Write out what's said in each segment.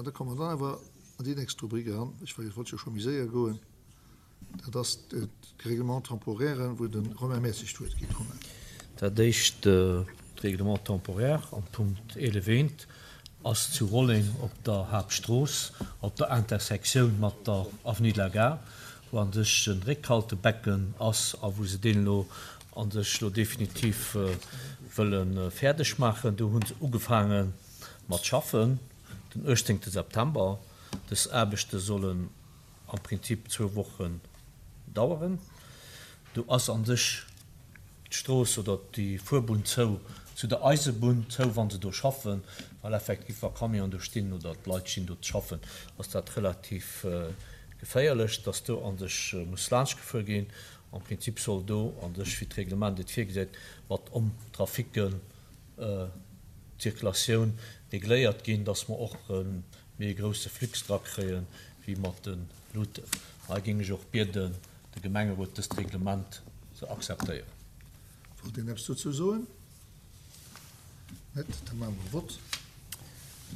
da komme mer dann awer an déi nächst Rubrik eran. Ech wollt jo scho méi séier goen. Dat ass d'Règlement temporaire, wou de Romain Mertzig d'Wuert kritt. Romain. Dat éischt Règlement temporaire am Punkt 11 eent ass zu Rolleng op der Haaptstrooss, op der Intersektioun mat der Avenue de la Gare, wou an sech en Réckhaltebecken ass a wou se deen elo an sech elo definitiv wëlle fäerdeg maachen. Do hu se ugefaange mat schaffen den 18 September. Dës Aarbechte sollen am Prinzip zwou Wochen daueren. Do ass an sech d'Strooss oder déi Fuerbunn zou zu der Eisebunn zou, wa se do schaffen, well effektiv wa Camionen do stinn oder d'Leit stinn do ze schaffen, ass dat relativ geféierlech, dass do an sech muss laanscht gefuer ginn. Am Prinzip soll do an sech, wéi d'Reglement et virgesäit, mat Homme-traficken d'Circulatioun regléiert ginn, dass mer och méi e grousse Flux dra kréie wéi mat de Luuten. Hei géing ech och bieden, de Gemengerot dëst Reglement ze akzeptéieren. Wollt een eppes dozou soen? Net? Da maache mer e Vott.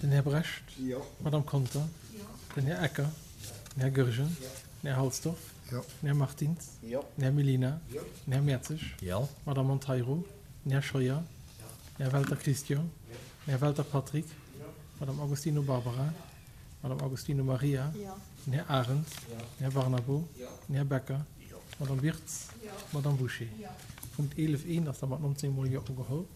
Den Här Brecht. Jo. D'Madame Conter. Jo. Den Här Ecker. Jo. Den Här Goergen. Jo. Den Här Halsdorf. Jo. Den Här Martins. Jo. Den Här Mellina. Jo. Den Här Mertzig. Jo. D'Madame Monteiro. Den Här Scheuer. Jo. Den Här Welter Christian. Jo. Den Här Welter Patrick. Jo. D'Madame Agostino Barbara. D'Madame Agostino Maria. Jo. Den Här Arendt. Jo. Den Här Barnabo. Jo. Den Här Becker. Jo. D'Madame Wirtz. Jo. D'Madame Bouché. Jo. Punkt 11 I ass da mat 19 mol Jo ugeholl.